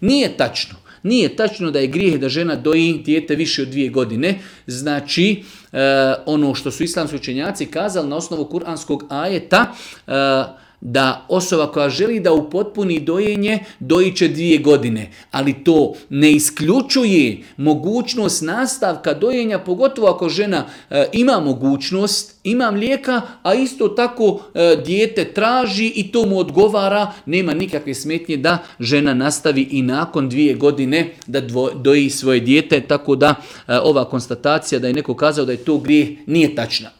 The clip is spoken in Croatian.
Nije tačno. Nije tačno da je grijeh da žena doji dijete više od 2 godine. Znači, ono što su islamski učenjaci kazali na osnovu kuranskog ajeta, da osoba koja želi da upotpuni dojenje, doji će 2 godine. Ali to ne isključuje mogućnost nastavka dojenja, pogotovo ako žena ima mogućnost, ima mlijeka, a isto tako dijete traži i to mu odgovara, nema nikakve smetnje da žena nastavi i nakon 2 godine da doji svoje dijete. Tako da ova konstatacija da je neko kazao da je to grijeh nije tačna.